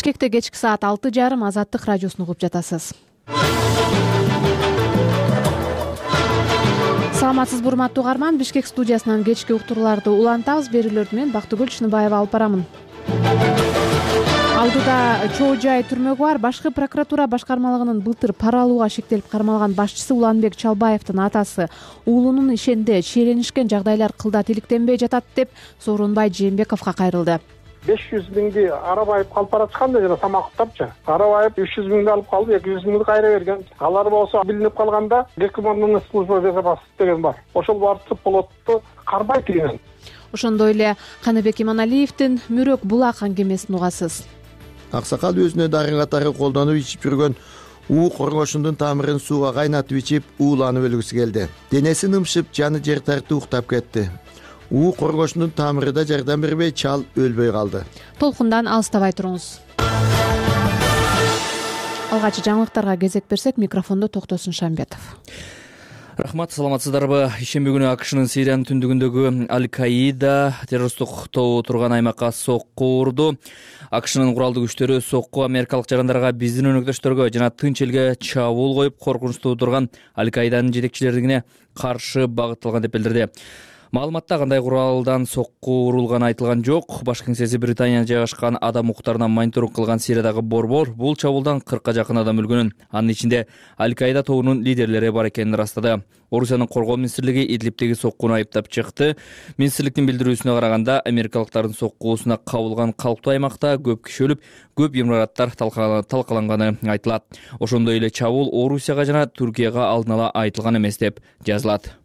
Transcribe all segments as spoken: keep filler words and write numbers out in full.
Бишкекте кечки саат алты жарым Азаттык радиосун угуп жатасыз. Саламатсызбы урматтуу угарман, Бишкек студиясынан кечки уктурууларды улантабыз. Берүүлөрдү мен Бактыгүл Чыныбаева алып барамын. Алдыда чоо жай түрмөгү бар. Башкы прокуратура башкармалыгынын былтыр пара алууга шектелип кармалган башчысы Уланбек Чалбаевдин атасы уулунун ишенде чиеленишкен жагдайлар кылдат иликтенбей жатат деп Сооронбай Жээнбековго кайрылды. беш жүз миңди Арабаев алып баратканда жана Самаковтапчы. Арабаев үч жүз миңди алып калды, эки жүз миңди кайра берген. Алар болсо билинип калганда Гекманның служба безопасности деген бар. Ошол барып плотту карбайт деген. Ошондой эле Каныбек Иманалиевдин Мөрөк булак аңгемесин угасыз. Аксакал өзүнө дары катары колдонуп ичип жүргөн уу коргошундун тамырын сууга кайнатып ичип ууланып өлгүсү келди. Денеси нымшып, жаны жер тартып уктап кетти. уу коргошундун тамыры да жардам бербей, чал өлбөй калды. Толкундан алыстабай туруңуз. Алгачкы жаңылыктарга кезек берсек, микрофондо Токтосун Шамбетов. Рахмат, саламатсыздарбы? Ишемби күнү АКШнын Сириянын түндүгүндөгү Аль-Каида террористтик тобу турган аймакка сокку урду. АКШнын куралдуу күчтөрү сокку америкалык жарандарга, биздин өнөктөштөргө жана тынч элге чабуул коюп, коркунучтуу турган Аль-Каиданын жетекчилерине каршы багытталган деп билдирди. Маалыматта кандай куралдан сокку урулганы айтылган жок. Баш кеңсеси Британияда жайгашкан адам укуктарына мониторинг кылган Сириядагы борбор бул чабуулдан кыркка жакын адам өлгөнүн, анын ичинде Аль-Каида тобунун лидерлери бар экенин ырастады. Орусиянын коргоо министрлиги Идлибтеги соккуну айыптап чыкты. Министрликтин билдирүүсүнө караганда, америкалыктардын соккуусуна кабылган калктуу аймакта көп киши өлүп, көп имараттар талкаланганы айтылат. Ошондой эле чабуул Орусияга жана Түркияга алдын ала айтылган эмес деп жазылат.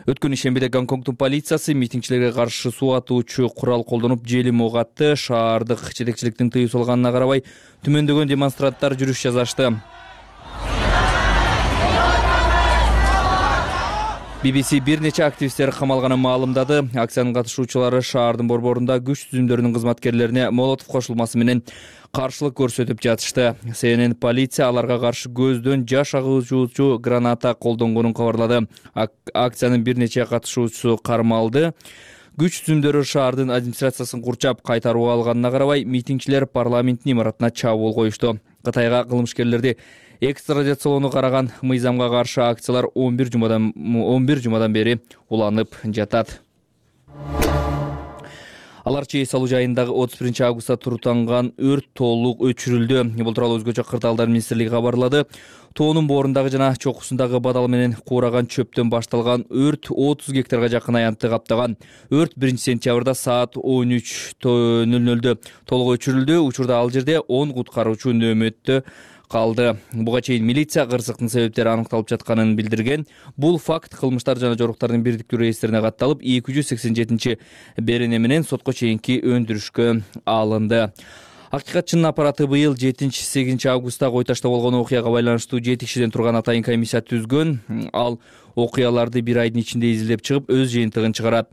Өткөн ишембиде Гонконгдун полициясы митингчилерге каршы суу атуучу курал колдонуп желим ок атты. Шаардык жетекчиликтин тыюу салганына карабай түмөндөгөн демонстранттар жүрүш жасашты. би би си бир нече активисттер камалганын маалымдады. Акциянын катышуучулары шаардын борборунда күч түзүмдөрүнүн кызматкерлерине молотов кошулмасы менен каршылык көрсөтүп жатышты. Си Эн Эн полиция аларга каршы көздөн жаш агуучу граната колдонгонун кабарлады. Акциянын бир нече катышуучусу кармалды. Күч түзүмдөрү шаардын администрациясын курчап кайтарып алганына карабай, митингчилер парламенттин имаратына чабуул коюшту. Кытайга кылмышкерлерди экстрадициялоону караган мыйзамга каршы акциялар он бир жумадан он бир жумадан бери уланып жатат. Алар чейи салуу жайындагы отуз биринчи августта туруктанган өрт толук өчүрүлдү. Бул тууралуу өзгөчө кырдаалдар министрлиги кабарлады. Тоонун боорундагы жана чокусундагы бадал менен куураган чөптөн башталган өрт отуз гектарга жакын аянтты каптаган. Өрт биринчи сентябрда саат он үч ноль нольдө толук өчүрүлдү. Учурда ал жерде он куткаруучу нөөмөттө калды. Буга чейин милиция кырсыктын себептери аныкталып жатканын билдирген. Бул факт кылмыштар жана жоруктардын бирдиктүү реестрине катталып, эки жүз сексен жетинчи берене менен сотко чейинки өндүрүшкө алынды. Акыйкатчынын аппараты быйыл жетинчи сегизинчи августта Кой Ташта болгон окуяга байланыштуу жети кишиден турган атайын комиссия түзгөн. Ал окуяларды бир айдын ичинде изилдеп чыгып, өз жыйынтыгын чыгарат.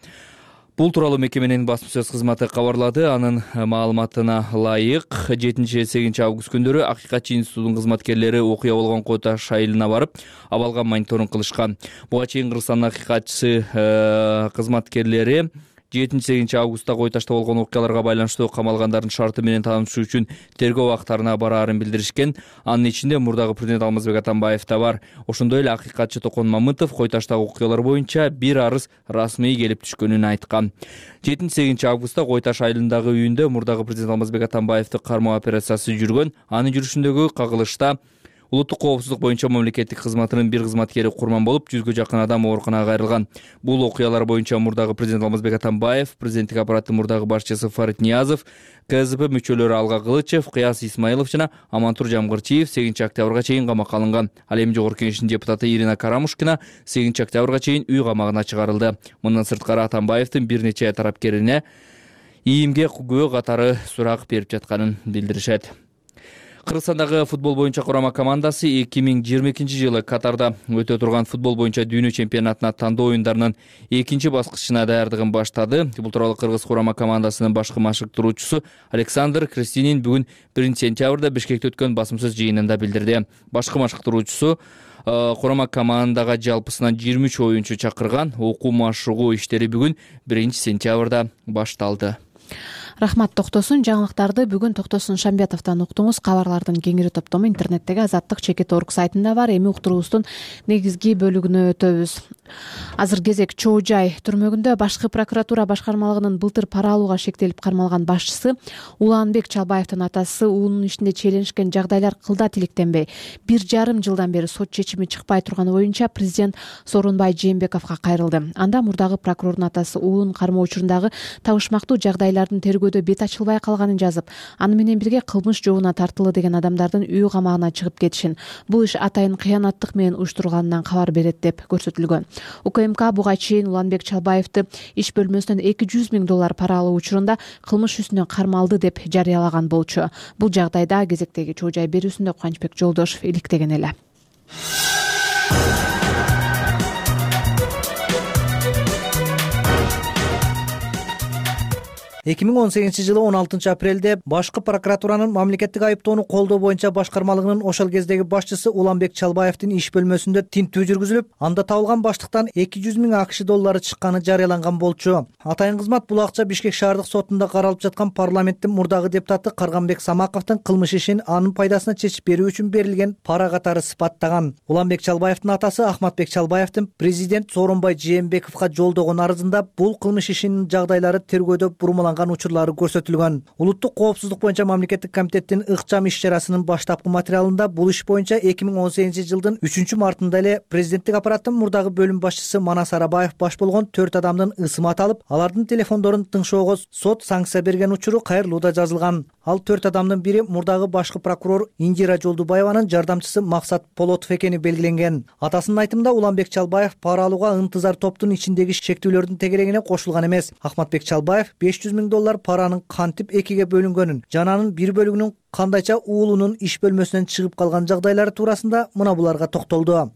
Бул тууралуу мекеменин басма сөз кызматы кабарлады. Анын маалыматына ылайык, жетинчи сегизинчи август күндөрү Акыйкатчы институтунун кызматкерлери окуя болгон Кой Таш айылына барып, абалга мониторинг кылышкан. Буга чейин Кыргызстандын акыйкатчысы кызматкерлери жетинчи сегизинчи августта Кой Ташта болгон окуяларга байланыштуу камалгандардын шарты менен таанышуу үчүн тергөө абактарына бараарын билдиришкен. Анын ичинде мурдагы президент Алмазбек Атамбаев да бар. Ошондой эле акыйкатчы Токон Мамытов Кой Таштагы окуялар боюнча бир арыз расмий келип түшкөнүн айткан. жетинчи сегизинчи августта Кой Таш айылындагы үйүндө мурдагы президент Алмазбек Атамбаевди кармоо операциясы жүргөн. Анын жүрүшүндөгү кагылышта улуттук коопсуздук боюнча мамлекеттик кызматынын бир кызматкери курман болуп, жүзгө жакын адам ооруканага кайрылган. Бул окуялар боюнча мурдагы президент Алмазбек Атамбаев, президенттик аппараттын мурдагы башчысы Фарид Ниязов, К З П мүчөлөрү Алга Кылычев, Кыяс Исмаилов жана Амантур Жамгырчиев сегизинчи октябрга чейин камакка алынган. Ал эми Жогорку Кеңештин депутаты Ирина Карамушкина сегизинчи октябрга чейин үй камагына чыгарылды. Мындан сырткары Атамбаевдин бир нече тарапкерине ийимге күбө катары сурак берип жатканын билдиришет. Кыргызстандагы футбол боюнча курама командасы эки миң жыйырма экинчи жылы Катарда өтө турган футбол боюнча дүйнө чемпионатына тандоо оюндарынын экинчи баскычына даярдыгын баштады. Бул тууралуу Кыргыз курама командасынын башкы машыктыруучусу Александр Крестинин бүгүн биринчи сентябрда Бишкекте өткөн басым сөз жыйынында билдирди. Башкы машыктыруучусу курама командага жалпысынан жыйырма үч оюнчу чакырган. Окуу машыгуу иштери бүгүн биринчи сентябрда башталды. Рахмат Токтосун. Жаңылыктарды бүгүн Токтосун Шамбетовдон уктуңуз. Кабарлардын кеңири топтому интернеттеги Азаттык чекит орг сайтында бар. Эми уктуруубуздун негизги бөлүгүнө өтөбүз. Азыр кезек Чоо Жай түрмөгүндө башкы прокуратура башкармалыгынын былтыр пара алууга шектелип кармалган башчысы Уланбек Чалбаевдин атасы уулунун ишинде чиеленишкен жагдайлар кылда тиликтенбей, бир жарым жылдан бери сот чечими чыкпай турганы боюнча президент Сооронбай Жээнбековго кайрылды. Анда мурдагы прокурордун атасы уулун кармоо учурундагы табышмактуу жагдайлардын тергөөдө бет ачылбай калганын жазып, аны менен бирге кылмыш жообуна тартылы деген адамдардын үй камагына чыгып кетишин, бул иш атайын кыянаттык менен уюштурулганынан кабар берет деп көрсөтүлгөн. УКМК буга чейин Уланбек Чалбаевди иш бөлмөсүнөн эки жүз миң доллар пара алуу учурунда кылмыш үстүнөн кармалды деп жарыялаган болчу. Бул жагдайда кезектеги Чоо Жай берүүсүндө Кубанычбек Жолдошов иликтеген эле. эки миң он сегизинчи жылы он алтынчы апрелде башкы прокуратуранын мамлекеттик айыптоону колдоо боюнча башкармалыгынын ошол кездеги башчысы Уланбек Чалбаевдин иш бөлмөсүндө тинтүү жүргүзүлүп, анда табылган баштыктан эки жүз миң акш доллары чыкканы жарыяланган болчу. Атайын кызмат бул акча Бишкек шаардык сотунда каралып жаткан парламенттин мурдагы депутаты Карганбек Самаковдун кылмыш ишин анын пайдасына чечип берүү үчүн берилген пара катары сыпаттаган. Уланбек Чалбаевдин атасы Ахматбек Чалбаевдин президент Сооронбай Жээнбековго жолдогон арызында бул кылмыш ишинин жагдайлары тергөөдө бурмаланган учурлары көрсөтүлгөн. Улуттук коопсуздук боюнча мамлекеттик комитеттин ыкчам иш-чарасынын баштапкы материалында бул иш боюнча эки миң он сегизинчи жылдын үчүнчү мартында эле президенттик аппараттын мурдагы бөлүм башчысы Манас Арабаев баш болгон төрт адамдын ысымы аталып, алардын телефондорун тыңшоого сот санкция берген учуру кайрылууда жазылган. Ал төрт адамдын бири мурдагы башкы прокурор Индира Жолдубаеванын жардамчысы Максат Полотов экени белгиленген. Атасынын айтымында Уланбек Чалбаев пара алууга ынтызар топтун ичиндеги шектүүлөрдүн тегерегине кошулган эмес. Ахматбек Чалбаев беш жүз миң доллар паранын кантип экиге бөлүнгөнүн жана анын бир бөлүгүнүн кандайча уулунун иш бөлмөсүнөн чыгып калган жагдайлары туурасында мына буларга токтолду.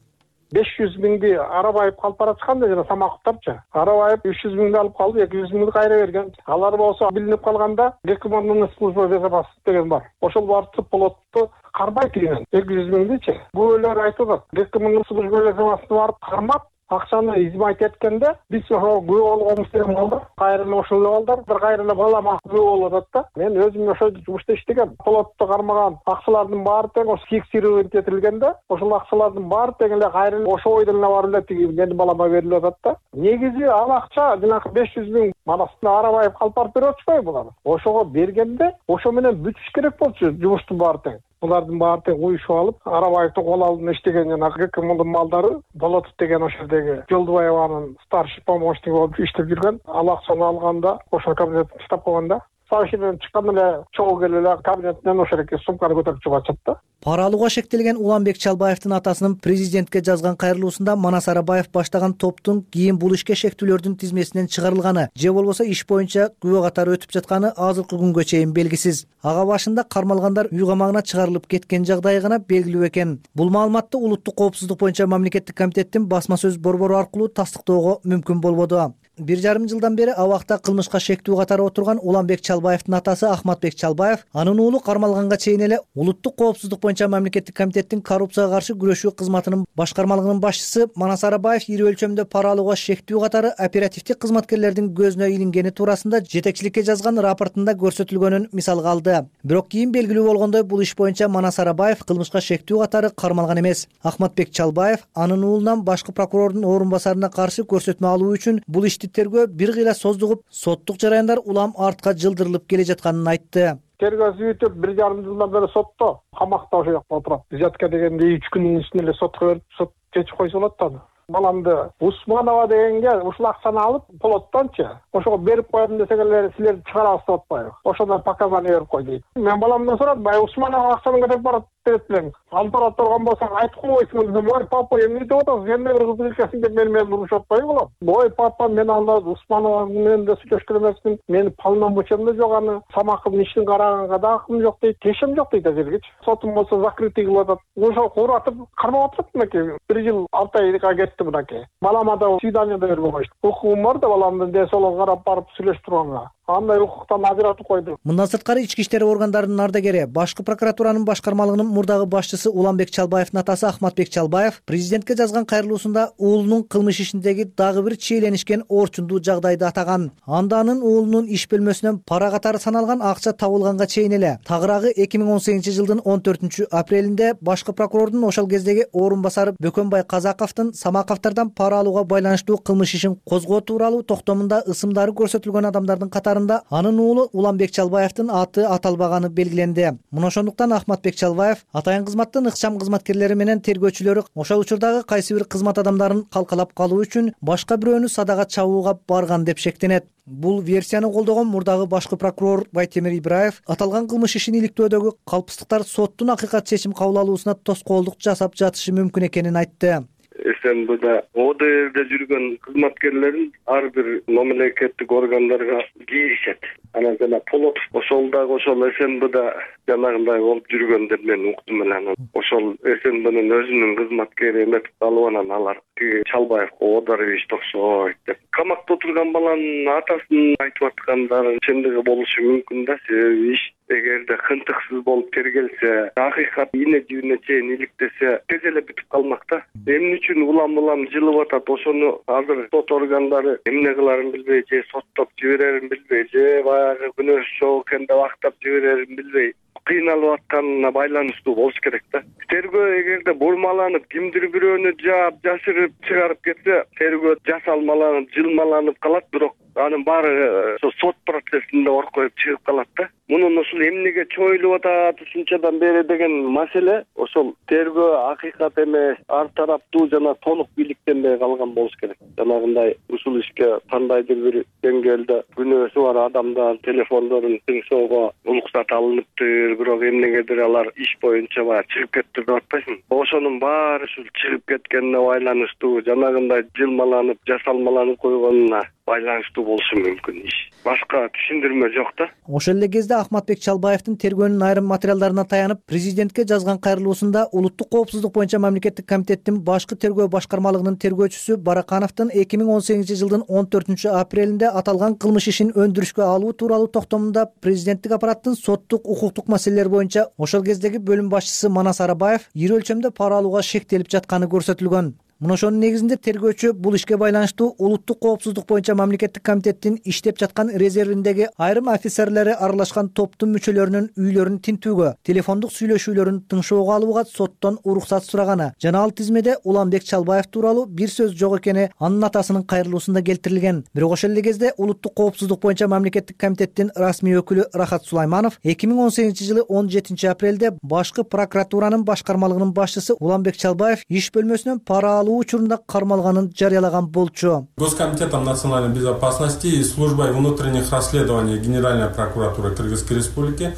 беш жүз миңди Арабаев алып бараткан да жана Самаковтарчы. Арабаев үч жүз миңди алып калды, эки жүз миңди кайра берген. Алар болсо билинип калганда Гекмандын служба безопасности деген бар. Ошол барып Полотту кармай кирген. эки жүз миңдичи. Бул элер айтып атат. Гекмандын служба безопасности барып кармап, акчаны измайт эткенде биз ошо күбө болгонбуз деген балдар кайра эле ошол эле балдар бир кайра эле балама күбө болуп атат да. Мен өзүм ошо жумушта иштегем. Полотту кармаган акчалардын баары тең ошо фиксировать этилгенде, ошол акчалардын баары тең эле кайра эле ошо бойдон эле барып эле тиги менин балама берилип атат да. Негизи ал акча жанагы беш жүз миң манасына Арабаев алып барып берип атышпайбы булар? Ошого бергенде ошо менен бүтүш керек болчу жумуштун баары тең. Булардын баары тең уюшуп алып, Арабаевдин кол алдында иштеген жана Гекмандын малдары Болотов деген ошол жердеги Жолдубаеванын старший помощниги болуп иштеп жүргөн. Ал акчаны алганда ошол кабинетте штаб кылганда Савшиден чыккан эле чогуу келип эле кабинетинен ошол эки сумканы көтөрүп чыгып атышат да. Пара алууга шектелген Уланбек Чалбаевдин атасынын президентке жазган кайрылуусунда Манас Арабаев баштаган топтун кийин бул ишке шектүүлөрдүн тизмесинен чыгарылганы же болбосо иш боюнча күбө катары өтүп жатканы азыркы күнгө чейин белгисиз. Ага башында кармалгандар үй камагына чыгарылып кеткен жагдай гана белгилүү экен. Бул маалыматты Улуттук коопсуздук боюнча мамлекеттик комитеттин басма сөз борбору аркылуу тастыктоого мүмкүн болбоду. Бир жарым жылдан бери абакта кылмышка шектүү катары отурган Уланбек Чалбаевдин атасы Ахматбек Чалбаев анын уулу кармалганга чейин эле Улуттук коопсуздук боюнча мамлекеттик комитеттин коррупцияга каршы күрөшүү кызматынын башкармалыгынын башчысы Манас Арабаев ири өлчөмдө пара алууга шектүү катары оперативдик кызматкерлердин көзүнө илингени туурасында жетекчиликке жазган рапортунда көрсөтүлгөнүн мисалга алды. Бирок кийин белгилүү болгондой бул иш боюнча Манас Арабаев кылмышка шектүү катары кармалган эмес. Ахматбек Чалбаев анын уулунан башкы прокурордун орун басарына каршы көрсөтмө алуу үчүн бул ишти тергөө бир кыйла создугуп, соттук жараяндар улам артка жылдырылып келе жатканын айтты. Тергөөсү бүтүп бир жарым жылдан бери сотто, камакта ошол жакта отурат. Взятка дегенде үч күнүн ичинде эле сотко берип, сот чечип койсо болот да. Баламды Усманова дегенге ушул акчаны алып, Полоттончу ошого берип коем десек эле силер чыгарабыз деп атпайбы? Ошондон показания берип кой дейт. Мен баламдан сурат, бай Усманова акчаны көтөрүп барат деп элем. Алып бара турган болсоң айтып койсуң десем, ой папа эмне деп атасың? Сен бир кызды келсең деп мен менен урушуп атпайбы балам? Ой папа, мен анда Усманова менен да сүйлөшкөн эмесмин. Менин полномочиям да жок аны. Самаковдун ишин караганга да акым жок дейт. Тешим жок дейт азыргычы. Сотум болсо закрытый кылып атат. Ошо куратып кармап атат мынакей. бир жыл алты айга кетти мынакей. Балама да свидание да бербей койушту. Укугум бар да баламдын десолон карап барып сүйлөшүп турганга. андай укуктан ажыратып койду. Мындан сырткары ички иштер органдарынын ардагери, башкы прокуратуранын башкармалыгынын мурдагы башчысы Уланбек Чалбаевдин атасы Ахматбек Чалбаев президентке жазган кайрылуусунда уулунун кылмыш ишиндеги дагы бир чиеленишкен орчундуу жагдайды атаган. Анда анын уулунун иш бөлмөсүнөн пара катары саналган акча табылганга чейин эле тагыраагы эки миң он сегизинчи жылдын он төртүнчү апрелинде башкы прокурордун ошол кездеги орун басары Бөкөнбай Казаковдун Самаковдордон пара алууга байланыштуу кылмыш ишин козгоо тууралуу токтомунда ысымдары көрсөтүлгөн адамдардын катарында анын уулу Уланбек Чалбаевдин аты аталбаганы белгиленди. Мына ошондуктан Ахматбек Чалбаев атайын кызматтын ыкчам кызматкерлери менен тергөөчүлөрү ошол учурдагы кайсы бир кызмат адамдарын калкалап калуу үчүн башка бирөөнү садага чабууга барган деп шектенет. Бул версияны колдогон мурдагы башкы прокурор Байтемир Ибраев аталган кылмыш ишин иликтөөдөгү калпсыздыктар соттун акыйкат чечим кабыл алуусуна тоскоолдук жасап жатышы мүмкүн экенин айтты. СНБда О Д Р'де жүргөн кызматкерлерин ар бир мамлекеттик органдарга киришет. Анан жана Полотов ошол дагы ошол СНБда жанагындай болуп жүргөн деп мен уктум эле. Ошол СНБнын өзүнүн кызматкери эметип калып анан алар Чалбаевго Одарович окшойт деп камакта отурган баланын атасын айтып аткандары чындыгы болушу мүмкүн да. Себеби иш эгерде кынтыксыз болуп тергелсе, акыйкат ийне жибине чейин иликтесе, тез эле бүтүп калмакта. Эмне үчүн улам-улам жылып атат, ошону азыр сот органдары эмне кыларын билбей, же соттоп жиберерин билбей, же баягы күнөөсү жок экен деп актап жиберерин билбей кыйналып атканына байланыштуу болуш керек да. Тергөө эгерде бурмаланып, кимдир бирөөнү жаап, жашырып чыгарып кетсе, тергөө жасалмаланып, жылмаланып калат, бирок анын баары ошо сот процессинде оркоюп чыгып калат да. Мунун ушул эмнеге чоюлуп атат ушунчадан бери деген маселе ошол тергөө акыйкат эмес, ар тараптуу жана толук бийликтенбей калган болуш керек. Жанагындай ушул ишке кандайдыр бир деңгээлде күнөөсү бар адамдан телефондорун тыңшоого уруксат алыныптыр, бирок эмнегедир алар иш боюнча баягы чыгып кетти деп атпайсыңбы? Ошонун баары ушул чыгып кеткенине байланыштуу, жанагындай жылмаланып, жасалмаланып койгонуна байланыштуу болушу мүмкүн иш. Башка түшүндүрмө жок да. Ошол эле кезде Ахматбек Чалбаевдин тергөөнүн айрым материалдарына таянып, президентке жазган кайрылуусунда улуттук коопсуздук боюнча мамлекеттик комитеттин башкы тергөө башкармалыгынын тергөөчүсү Баракановдун эки миң он сегизинчи жылдын он төртүнчү апрелинде аталган кылмыш ишин өндүрүшкө алуу тууралуу токтомунда президенттик аппараттын соттук укуктук маселелер боюнча ошол кездеги бөлүм башчысы Манас Арабаев ири өлчөмдө пара алууга шектелип жатканы көрсөтүлгөн. Мына ошонун негизинде тергөөчү бул ишке байланыштуу улуттук коопсуздук боюнча мамлекеттик комитеттин иштеп жаткан резервиндеги айрым офицерлери аралашкан топтун мүчөлөрүнүн үйлөрүн тинтүүгө, телефондук сүйлөшүүлөрүн тыңшоого алууга соттон уруксат сураганы жана ал тизмеде Уланбек Чалбаев тууралуу бир сөз жок экени анын атасынын кайрылуусунда келтирилген. Бирок ошол эле кезде улуттук коопсуздук боюнча мамлекеттик комитеттин расмий өкүлү Рахат Сулайманов эки миң он сегизинчи жылы он жетинчи апрелде башкы прокуратуранын башкармалыгынын башчысы Уланбек Чалбаев иш бөлмөсүнөн пара учурунда кармалганын жарыялаган болчу. Госкомитетом национальной безопасности и службой внутренних расследований Генеральной прокуратуры Кыргызской республики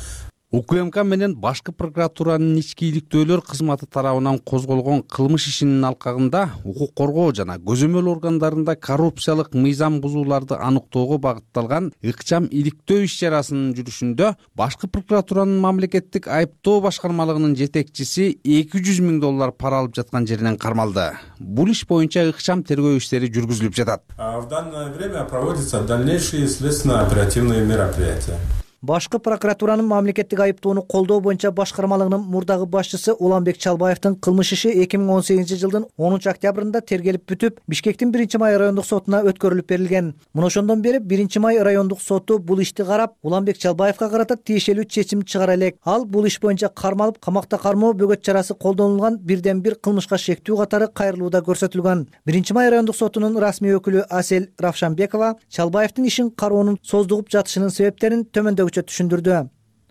УКМК менен башкы прокуратуранын ички иликтөөлөр кызматы тарабынан козголгон кылмыш ишинин алкагында укук коргоо жана көзөмөл органдарында коррупциялык мыйзам бузууларды аныктоого багытталган ыкчам иликтөө иш чарасынын жүрүшүндө башкы прокуратуранын мамлекеттик айыптоо башкармалыгынын жетекчиси эки жүз миң доллар пара алып жаткан жеринен кармалды. Бул иш боюнча ыкчам тергөө иштери жүргүзүлүп жатат. В данное время проводятся дальнейшие следственно-оперативные мероприятия. Башкы прокуратуранын мамлекеттик айыптоону колдоо боюнча башкармалыгынын мурдагы башчысы Уланбек Чалбаевдин кылмыш иши эки миң он сегизинчи жылдын онунчу октябрында тергелип бүтүп, Бишкектин биринчи май райондук сотуна өткөрүлүп берилген. Мына ошондон бери биринчи май райондук соту бул ишти карап, Уланбек Чалбаевга карата тиешелүү чечим чыгара элек. Ал бул иш боюнча кармалып, камакта кармоо бөгөт чарасы колдонулган бирден бир кылмышка шектүү катары кайрылууда көрсөтүлгөн. биринчи май райондук сотунун расмий өкүлү Асель Равшанбекова Чалбаевдин ишин кароонун создугуп жатышынын себептерин төмөндөгүчө түшүндүрдү.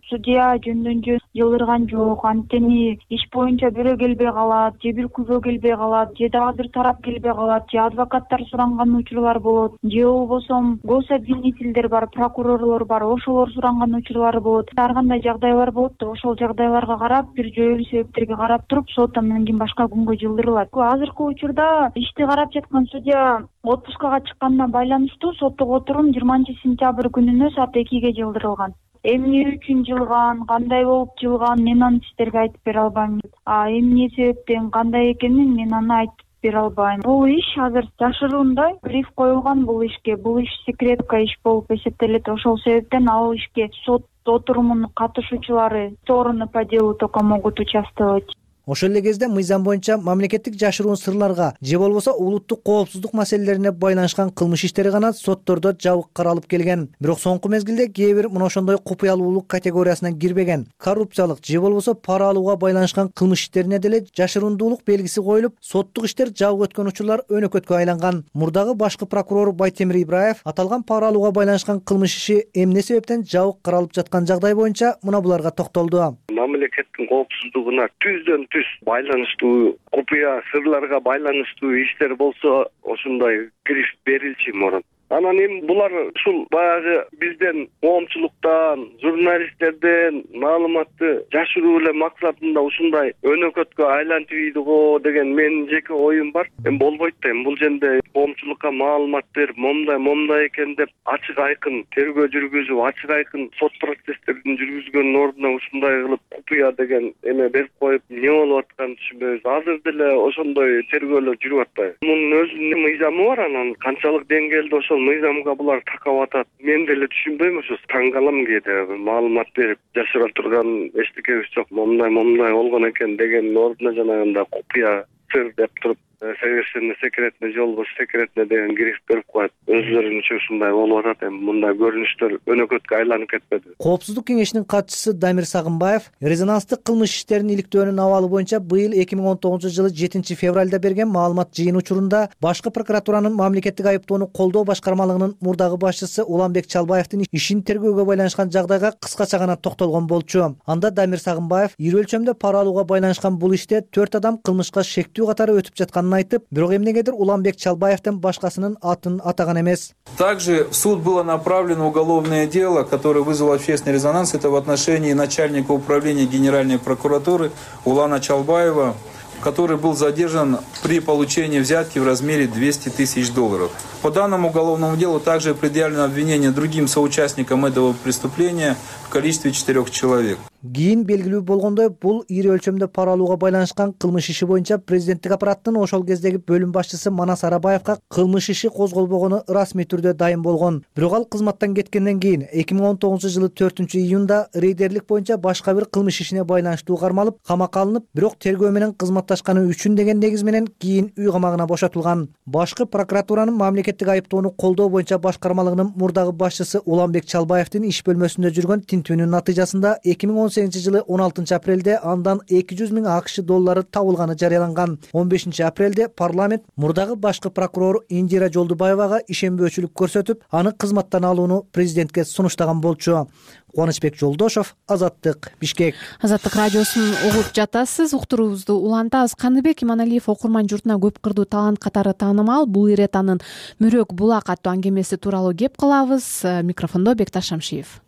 Судья жөндөн жөн жылдырган жок, анткени иш боюнча бирөө келбей калат, же бир күбө келбей калат, же дагы бир тарап келбей калат, же адвокаттар суранган учурлар болот, же болбосо гособвинительдер бар, прокурорлор бар, ошолор суранган учурлар болот. Ар кандай жагдайлар болот да, ошол жагдайларга карап, бир жоюлуу себептерге карап туруп, сот андан кийин башка күнгө жылдырылат. Азыркы учурда ишти карап жаткан судья отпускага чыкканына байланыштуу соттук отурум жыйырманчы сентябрь күнүнө саат экиге жылдырылган. Эмне үчүн жылган, кандай болуп жылган, мен аны сиздерге айтып бере албайм. А эмне себептен, кандай экенин мен аны айтып бере албайм. Бул иш азыр жашыруунда гриф коюлган бул ишке. Бул иш секретка иш болуп эсептелет. Ошол себептен ал ишке сот отурумунун катышуучулары стороны по делу только могут участвовать. Ошол эле кезде мыйзам боюнча мамлекеттик жашыруун сырларга же болбосо улуттук коопсуздук маселелерине байланышкан кылмыш иштери гана соттордо жабык каралып келген. Бирок соңку мезгилде кээ бир мына ошондой купуялуулук категориясына кирбеген коррупциялык же болбосо пара алууга байланышкан кылмыш иштерине деле жашырундуулук белгиси коюлуп, соттук иштер жабык өткөн учурлар өнөкөткө айланган. Мурдагы башкы прокурор Байтемир Ибраев аталган пара алууга байланышкан кылмыш иши эмне себептен жабык каралып жаткан жагдай боюнча мына буларга токтолду. Мамлекеттин коопсуздугуна түздөн түз байланыштуу, купуя сырларга байланыштуу иштер болсо ошондой гриф берилчү мурун. Анан эми булар ушул баягы бизден коомчулуктан, журналисттерден маалыматты жашыруу эле максатында ушундай өнөкөткө айлантып ийди го деген менин жеке оюм бар. Эми болбойт да, эми бул жерде коомчулукка маалымат берип, момундай момундай экен деп ачык айкын тергөө жүргүзүп, ачык айкын сот процесстерин жүргүзгөндүн ордуна ушундай кылып купуя деген эме берип коюп, эмне болуп атканын түшүнбөйбүз. Азыр деле ошондой тергөөлөр жүрүп атпайбы? Мунун өзүнүн мыйзамы бар, анан канчалык деңгээлде ошол мыйзамга булар такап атат. Мен деле түшүнбөйм, ошо таң калам кээде маалымат берип жашыра турган эчтекебиз жок, момундай момундай болгон экен дегендин ордуна жанагындай купуя сыр деп туруп совершенно секретный же болбосо секретный деген гриф берип коет. Өзлөрүнчө ушундай болуп атат. Эми мындай көрүнүштөр өнөкөткө айланып кетпеди. Коопсуздук кеңешинин катчысы Дамир Сагынбаев резонанстык кылмыш иштерин иликтөөнүн абалы боюнча быйыл эки миң он тогузунчу жылы жетинчи февралда берген маалымат жыйын учурунда башкы прокуратуранын мамлекеттик айыптоону колдоо башкармалыгынын мурдагы башчысы Уланбек Чалбаевдин ишин тергөөгө байланышкан жагдайга кыскача гана токтолгон болчу. Анда Дамир Сагынбаев ири өлчөмдө пара алууга байланышкан бул иште төрт адам кылмышка шектүү катары өтүп жатканын айтып, бирок эмнегедир Уланбек Чалбаевдин башкасынын атын атаган эмес. Также в суд было направлено уголовное дело, которое вызвало общественный резонанс. Это в отношении начальника управления Генеральной прокуратуры Улана Чалбаева, который был задержан при получении взятки в размере двести тысяч долларов. По данному уголовному делу также предъявлено обвинение другим соучастникам этого преступления в количестве четырех человек. Кийин белгилүү болгондой, бул ири өлчөмдө пара алууга байланышкан кылмыш иши боюнча президенттик аппараттын ошол кездеги бөлүм башчысы Манас Арабаевга кылмыш иши козголбогону расмий түрдө дайым болгон. Бирок ал кызматтан кеткенден кийин эки миң он тогузунчу жылы төртүнчү июнда рейдерлик боюнча башка бир кылмыш ишине байланыштуу кармалып, камакка алынып, бирок тергөө менен кызматташканы үчүн деген негиз менен кийин үй камагына бошотулган. Башкы прокуратуранын мамлекеттик айыптоону колдоо боюнча башкармалыгынын мурдагы башчысы Уланбек Чалбаевдин иш бөлмөсүндө жүргөн тинтүүнүн натыйжасында эки миң он сегизинчи жылы он алтынчы апрелде андан эки жүз миң акш доллары табылганы жарыяланган. он бешинчи апрелде парламент мурдагы башкы прокурор Индира Жолдубаевага ишенбөөчүлүк көрсөтүп, аны кызматтан алууну президентке сунуштаган болчу. Кубанычбек Жолдошов, Азаттык, Бишкек. Азаттык радиосун угуп жатасыз. Уктуруубузду улантабыз. Каныбек Иманалиев окурман журтуна көп кырдуу талант катары таанымал. Бул ирет анын Мөрөк булак аттуу аңгемеси тууралуу кеп кылабыз. Микрофондо Бекташ Шамшиев.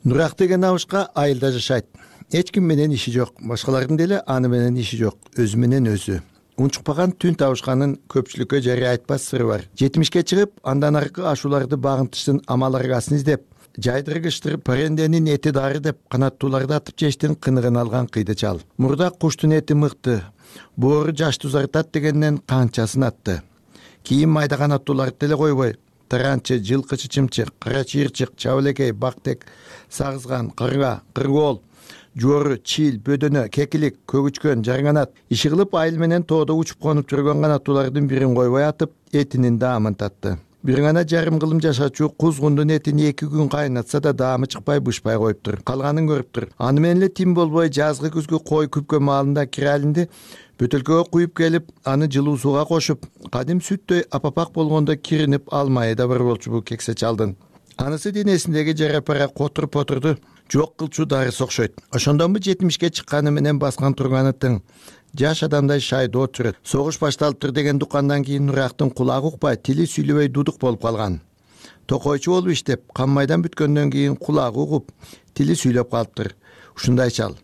Нурак деген абышка айылда жашайт. Эч ким менен иши жок, башкалардын деле аны менен иши жок, өзү менен өзү. Унчукпаган түн табышканын көпчүлүккө жарыя айтпас сыры бар. жетимишке чыгып, андан аркы ашууларды багынтыштын амал аргасын издеп, жайдыргычтыр паренденин эти дары деп канаттууларды атып жештин кыныгын алган кыйды чал. Мурда куштун эти мыкты, боору жашты узартат дегенден канчасын атты. Кийин майда канаттууларды деле койбой, таранчы, жылкычы чымчык, кара чыйырчык, чабылекей, бактек, сагызган, кырга, кыргоол, жуору, чил, бөдөнө, кекилик, көгүчкөн, жарганат иши кылып айыл менен тоодо учуп конуп жүргөн канаттуулардын бирин койбой атып, этинин даамын татты. Бир гана жарым кылым жашачу кузгундун этин эки күн кайнатса да даамы чыкпай, бышпай коюптур. Калганын көрүптүр. Аны менен эле тим болбой жазгы күзгү кой күпкө маалында киралинди бөтөлкөгө куюп келип, аны жылуу сууга кошуп, кадим сүттөй апапак болгондо киринип алмайы да бар болчу бул кексе чалдын. Анысы денесиндеги жара пара котур-потурду жок кылчу дарысы окшойт. Ошондонбу жетимишке чыкканы менен баскан турганы тың. Жаш адамдай шайды от жүрөт. Согуш башталыптыр деген дукандан кийин Нурактын кулагы укпай, тили сүйлөбөй дудук болуп калган. Токойчу болуп иштеп, каммайдан бүткөндөн кийин кулагы угуп, тили сүйлөп калыптыр. Ушундай чал.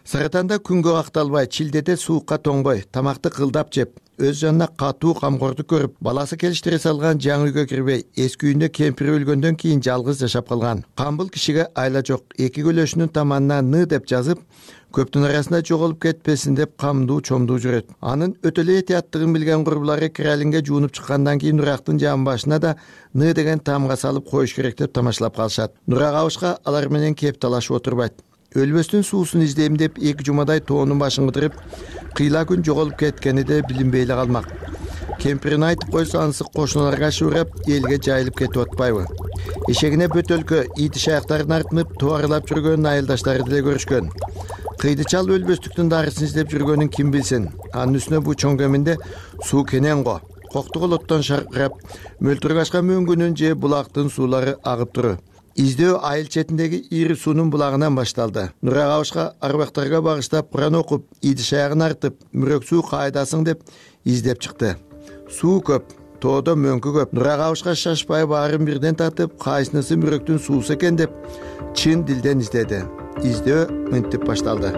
Саратанда күнгө какталбай, чилдеде суукка тоңбой, тамакты кылдап жеп, өз жанына катуу камкордук көрүп, баласы келиштире салган жаңы үйгө кирбей, эски үйүндө кемпири өлгөндөн кийин жалгыз жашап калган. Камбыл кишиге айла жок, эки көлөшүнүн таманына ны деп жазып, көптүн арасында жоголуп кетпесин деп камдуу чомдуу жүрөт. Анын өтө эле этияттыгын билген курбулары киралинге жуунуп чыккандан кийин Нурактын жан башына да ны деген таамга салып коюш керек деп тамашалап калышат. Нурак абышка алар менен кеп талашып отурбайт. Өлбөстүн суусун издейм деп эки жумадай тоонун башын кыдырып, кыйла күн жоголуп кеткени де билинбей эле калмак. Кемпирин айтып койсо анысы кошуналарга шыбырап, элге жайылып кетип атпайбы? Эшегине бөтөлкө, ити шаяктарын артынып, туарылап жүргөн айылдаштары деле көрүшкөн. Кыйды чал өлбөстүктүн дарысын издеп жүргөнүн ким билсин? Анын үстүнө бу чоң кеминде суу кенен го. Коктуголоттон шаркырап, мөлтүрөк ашкан мөңгүнүн же булактын суулары агып туру. Издөө айыл четиндеги ири суунун булагынан башталды. Нурак абышка арбактарга багыштап Куран окуп, иди шаягын артып, мүрөк суу кайдасың деп издеп чыкты. Суу көп, тоодо мөңкү көп. Нурак абышка шашпай баарын бирден тартып, кайсынысы мүрөктүн суусу экен деп чын дилден издеди. Издөө мынтип башталды.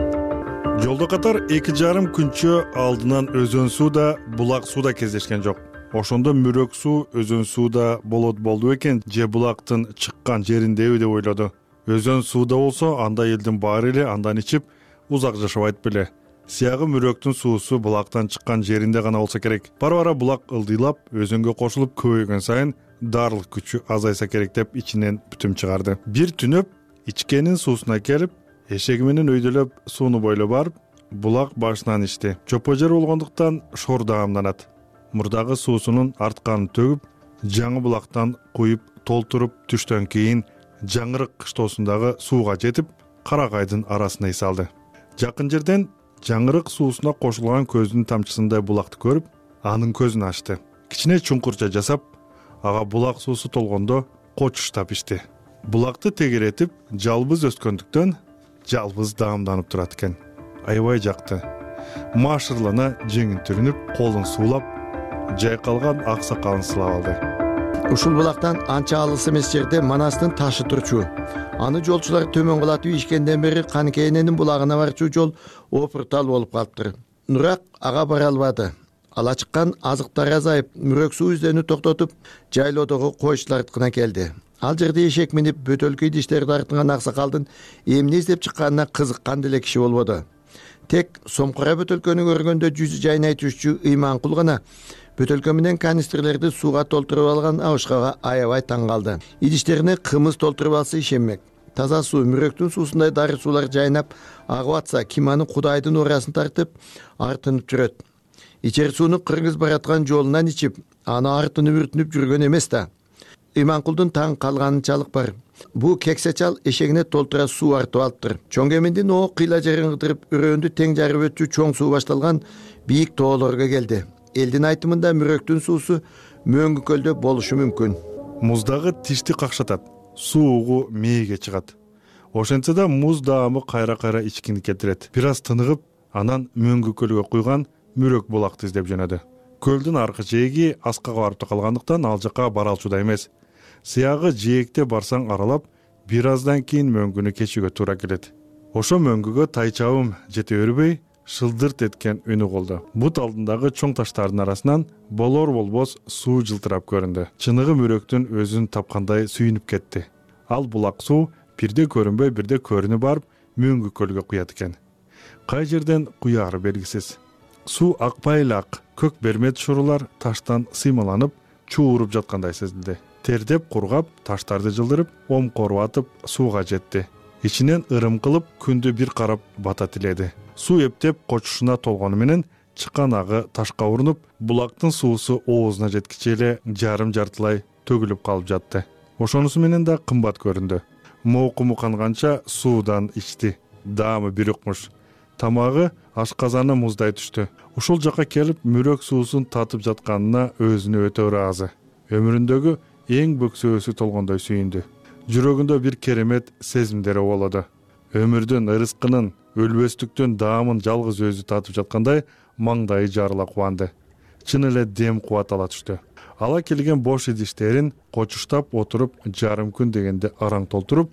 Жолдо катар эки жарым күнчө алдынан өзөн суу да, булак суу да кездешкен жок. Ошондо мүрөк суу өзөн сууда болот болду экен, же булактын чыккан жериндеби деп ойлоду. Өзөн сууда болсо, анда элдин баары эле андан ичип узак жашабайт беле. Сиягы мүрөктүн суусу булактан чыккан жеринде гана болсо керек. Бара-бара булак ылдыйлап, өзөнгө кошулуп көбөйгөн сайын дарылык күчү азайса керек деп ичинен бүтүм чыгарды. Бир түнөп ичкенин суусуна келип, эшеги менен өйдөлөп сууну бойлоп барып, булак башынан ичти. Чопо жер болгондуктан шор даамданат. Мурдагы суусунун артканын төгүп, жаңы булактан куюп толтуруп түштөн кийин жаңырык кыштоосундагы сууга жетип, каракайдын арасына ий салды. Жакын жерден жаңырык суусуна кошулган көздүн тамчысындай булакты көрүп, анын көзүн ачты. Кичине чуңкурча жасап, ага булак суусу толгондо кочуштап ичти. Булакты тегеретип, жалбыз өскөндүктөн жалбыз даамданып турат экен. Аябай жакты. Машырлана жеңин түрүнүп, колун суулап, жайкалган ак сакалын сылап алды. Ушул булактан анча алыс эмес жерде Манастын ташы турчу. Аны жолчулар төмөн кулатып ишкенден бери Каныкейненин булагына барчу жол опуртал болуп калыптыр. Нурак ага бара албады. Ала чыккан азыктары азайып, мүрөк суу издөөнү токтотуп, жайлоодогу койчулардыкына келди. Ал жерде эшек минип, бөтөлкө идиштерди артынган аксакалдын эмне издеп чыкканына кызыккан деле киши болбоду. Тек сомкура бөтөлкөнү көргөндө жүзү жайнай түшчү Ыйманкул гана бөтөлкө менен канистрлерди сууга толтуруп алган абышкага аябай таң калды. Идиштерине кымыз толтуруп алса ишенмек. Таза суу, мүрөктүн суусундай дары суулар жайнап агып атса, ким аны Кудайдын урасын тартып, артынып жүрөт. Ичер сууну кыргыз бараткан жолунан ичип, аны артынып үртүнүп жүргөн эмес да. Ыйманкулдун таң калганынчалык бар. Бу кексе чал эшегине толтура суу артып алыптыр. Чоң кеминдин о кыйла жерин кыдырып, өрөөндү тең жарып өтчү чоң суу башталган бийик тоолорго келди. Элдин айтымында мүрөктүн суусу мөңгү көлдө болушу мүмкүн. Муздагы тишти какшатат, суугу мээге чыгат. Ошентсе да муз даамы кайра-кайра ичкини келтирет. Бир аз тыныгып, анан мөңгү көлгө куйган мүрөк булакты издеп жөнөдү. Көлдүн аркы жээги аскага барып калгандыктан ал жака бара алчуда эмес. Сиягы жээкте барсаң аралап, бир аздан кийин мөңгүнү кечүүгө туура келет. Ошо мөңгүгө тайчабым жете бербей, шылдырт эткен үнү болду. Бут алдындагы чоң таштардын арасынан болор болбос суу жылтырап көрүндү. Чыныгы мүрөктүн өзүн тапкандай сүйүнүп кетти. Ал булак суу бирде көрүнбөй, бирде көрүнүп барып, мөңгү көлгө куят экен. Кай жерден куяары белгисиз. Суу акпай эле ак, көк бермет шурулар таштан сыймаланып, чууруп жаткандай сезилди. Тердеп кургап, таштарды жылдырып, омкоруп атып сууга жетти. Ичинен ырым кылып, күндү бир карап бата тиледи. Суу эптеп кочушуна толгону менен чыккан агы ташка урунуп, булактын суусу оозуна жеткиче эле жарым жартылай төгүлүп калып жатты. Ошонусу менен да кымбат көрүндү. Моокуму канганча суудан ичти. Даамы бир укмуш. Тамагы ашказаны муздай түштү. Ушул жака келип, мүрөк суусун татып жатканына өзүнө өтө ыраазы. Өмүрүндөгү эң бөксөөсү толгондой сүйүндү. Жүрөгүндө бир керемет сезимдер болоду. Өмүрдүн ырыскынын, өлбөстүктүн даамын жалгыз өзү татып жаткандай маңдайы жарыла кубанды. Чын эле дем кубат ала түштү. Ала келген бош идиштерин кочуштап отуруп, жарым күн дегенде араң толтуруп,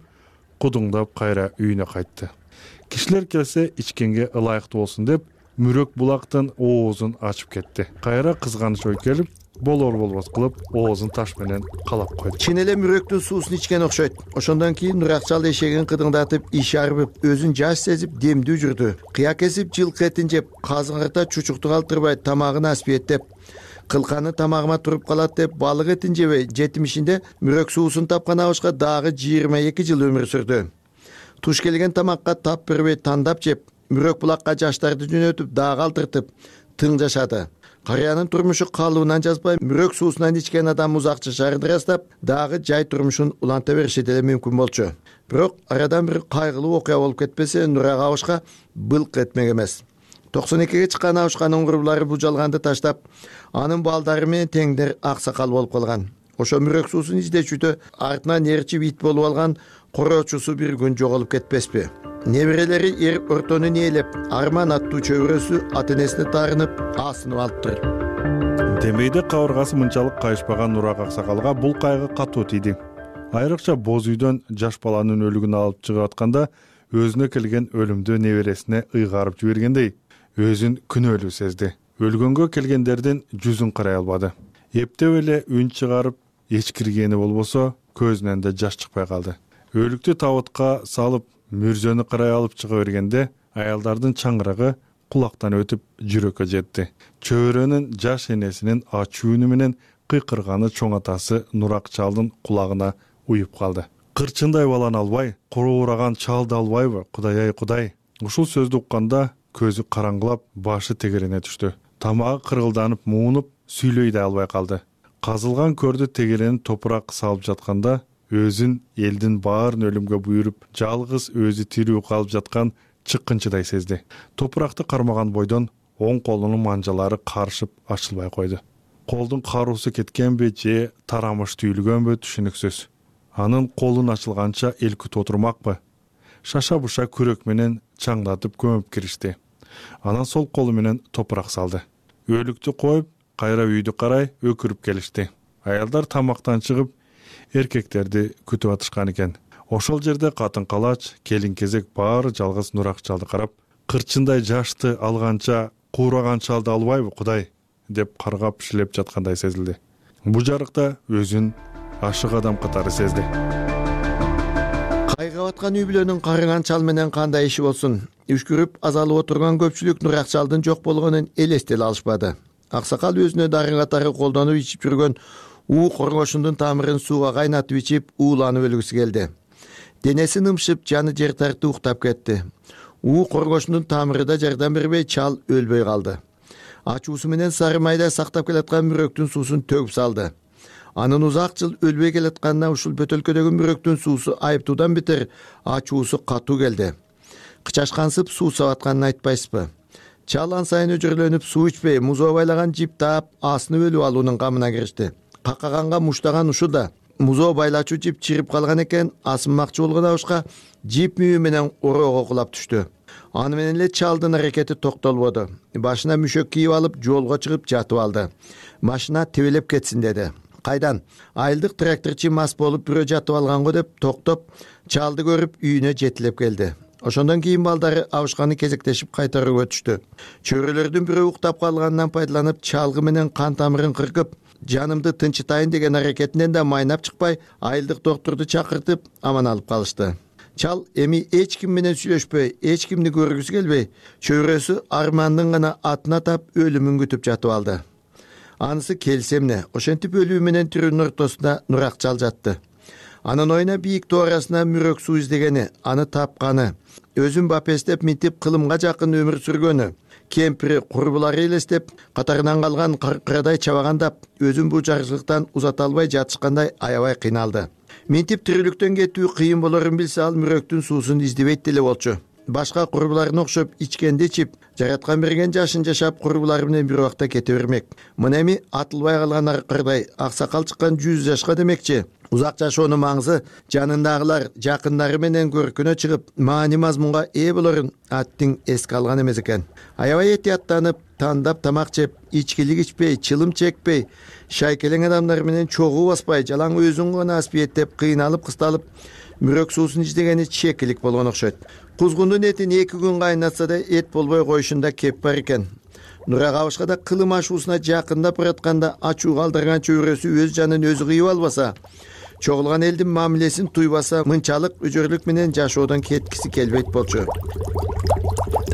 кудуңдап кайра үйүнө кайтты. Кишилер келсе ичкенге ылайыктуу болсун деп, мүрөк булактын оозун ачып кетти. Кайра кызганыч ой келип, болор болбос кылып оозун таш менен калап койду. Чын эле мүрөктүн суусун ичкен окшойт. Ошондон кийин Нуракчал эшегин кыдыңдатып, иш арбып, өзүн жаш сезип демдүү жүрдү. Кыя кесип жылкы этин жеп, казыңырта чучукту калтырбай тамагын аспиеттеп, кылканы тамагыма туруп калат деп балык этин жебей, жетимишинде мүрөк суусун тапкан абышка дагы жыйырма эки жыл өмүр сүрдү. Туш келген тамакка тап бербей тандап жеп, мүрөк булакка жаштарды жөнөтүп, дагы калтыртып, тың жашады. Карыянын турмушу калыбынан жазбай, мүрөк суусунан ичкен адам узак жашаарын ырастап, дагы жай турмушун уланта бериши деле мүмкүн болчу. Бирок арадан бир кайгылуу окуя болуп кетпесе, Нурак абышка былк этмек эмес. токсон экиге чыккан абышканын курбулары бул жалганды таштап, анын балдары менен теңдер аксакал болуп калган. Ошо мүрөк суусун издечүүдө артынан ээрчип ит болуп алган короочусу бир күн жоголуп кетпеспи? Неберелери эр ортонун ээлеп, Арман аттуу чөбүрөсү ата энесине таарынып, асынып алыптыр. Демейде кабыргасы мынчалык кайышпаган Нурак аксакалга бул кайгы катуу тийди. Айрыкча боз үйдөн жаш баланын өлүгүн алып чыгып атканда, өзүнө келген өлүмдү небересине ыйгарып жибергендей, өзүн күнөөлүү сезди. Өлгөнгө келгендердин жүзүн карай албады. Эптеп эле үн чыгарып, эчкиргени болбосо, көзүнөн да жаш чыкпай калды. Өлүктү табытка салып, мүрзөнү карай алып чыга бергенде, аялдардын чаңырагы кулактан өтүп жүрөккө жетти. Чөбүрөнүн жаш энесинин ачуу үнү менен кыйкырганы чоң атасы Нурак чалдын кулагына уюп калды. Кырчындай баланы албай, короораган чалды албайбы, Кудай ай Кудай. Ушул сөздү укканда көзү караңгылап, башы тегерене түштү. Тамагы кыргылданып, муунуп, сүйлөй да албай калды. Казылган көрдү тегеренин топурак салып жатканда, өзүн элдин баарын өлүмгө буйруп, жалгыз өзү тирүү калып жаткан чыккынчыдай сезди. Топуракты кармаган бойдон оң колунун манжалары карышып ачылбай койду. Колдун каруусу кеткенби же тарамыш түйүлгөнбү түшүнүксүз. Анын колун ачылганча эл күтүп отурмакпы? Шаша буша күрөк менен чаңдатып көмүп киришти. Анан сол колу менен топурак салды. Өлүктү коюп, кайра үйдү карай өкүрүп келишти. Аялдар тамактан чыгып, эркектерди күтүп атышкан экен. Ошол жерде катын калач, келин кезек баары жалгыз Нурак чалды карап, кырчындай жашты алганча куураган чалды албайбы Кудай деп каргап шилеп жаткандай сезилди. Бу жарыкта өзүн ашык адам катары сезди. Кайгап аткан үй бүлөнүн карыган чал менен кандай иши болсун? Үшкүрүп азалып отурган көпчүлүк Нурак чалдын жок болгонун элестете алышпады. Аксакал өзүнө дары катары колдонуп ичип жүргөн уу коргошундун тамырын сууга кайнатып ичип, ууланып өлгүсү келди. Денеси нымшып, жаны жер тартып уктап кетти. уу коргошундун тамыры да жардам бербей, чал өлбөй калды. Ачуусу менен сары майда сактап келаткан мүрөктүн суусун төгүп салды. Анын узак жыл өлбөй келатканына ушул бөтөлкөдөгү мүрөктүн суусу айыптуудан бетер ачуусу катуу келди. Кычашкансып суу сабатканын айтпайсызбы? Чал ан сайын өжөрлөнүп, суу ичпей, музоо байлаган жип таап, асынып өлүп алуунун камына киришти. Какаганга муштаган ушу да. Музоо байлачу жип чирип калган экен, асынмакчы болгон абышка жип мүйү менен ороого кулап түштү. Аны менен эле чалдын аракети токтолбоду. Башына мүшөк кийип алып, жолго чыгып жатып алды. Машина тебелеп кетсин деди. Кайдан? Айылдык тракторчу мас болуп бирөө жатып алганго деп токтоп, чалды көрүп үйүнө жетилеп келди. Ошондон кийин балдары абышканы кезектешип кайтарууга өтүштү. Чөбүрөлөрдүн бирөө уктап калганынан пайдаланып, чалгы менен кан тамырын кыркып, жанымды тынчытайын деген аракетинен да майнап чыкпай, айылдык доктурду чакыртып, аман алып калышты. Чал эми эч ким менен сүйлөшпөй, эч кимди көргүсү келбей, чөбүрөсү Армандын гана атына тап өлүмүн күтүп жатып алды. Анысы келсе эмне, ошентип өлүү менен тирүүнүн ортосунда Нурак чал жатты. Анын оюна бийик тоо арасына мүрөк суу издегени, аны тапканы, өзүн бапестеп минтип кылымга жакын өмүр сүргөнү, кемпири, курбулары элестеп, катарынан калган кыркырадай чабагандап, өзүн бул жарчылыктан узата албай жатышкандай аябай кыйналды. Минтип тирүүлүктөн кетүү кыйын болорун билсе, ал мүрөктүн суусун издебейт деле болчу. Башка курбуларына окшоп ичкенди ичип, жараткан берген жашын жашап, курбулары менен бир убакта кете бермек. Мына эми атылбай калган аркырдай аксакал чыккан жүз жашка демекчи. Узак жашоонун маңызы жанындагылар, жакындары менен көркүнө чыгып, маани мазмунга ээ болорун аттиң эске алган эмес экен. Аябай этияттанып, тандап тамак жеп, ичкилик ичпей, чылым чекпей, шайкелең адамдар менен чогуу баспай, жалаң өзүн гана аспиеттеп, кыйналып кысталып, мүрөк суусун издегени чекилик болгон окшойт. кузгундун этин эки күн кайнатса да эт болбой коюшунда кеп бар экен. Нура Кабышкада кылым ашуусуна жакындап баратканда ачуу калтырган чөйрөсү өз жанын өзү кыйып албаса, чогулган элдин мамилесин туйбаса, мынчалык үжөрлүк менен жашоодон кеткиси келбейт болчу.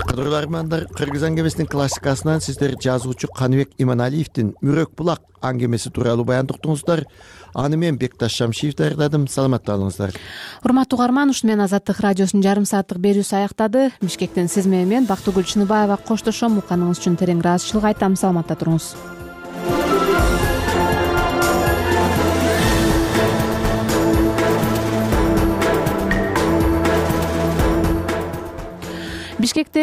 Кадырлуу армандар, Кыргыз аңгемесинин классикасынан сиздер жазуучу Каныбек Иманалиевдин Мүрөк булак аңгемеси тууралуу баян уктуңуздар. Аны мен Бекташ Шамшиев даярдадым. Саламатта болуңуздар. Урматтуу угарман, ушу менен Азаттык радиосунун жарым сааттык берүүсү аяктады. Бишкектен сиз менен мен Бактыгүл Чыныбаева коштошом. Укканыңыз үчүн терең ыраазычылык айтам. Саламатта туруңуз. Бишкекте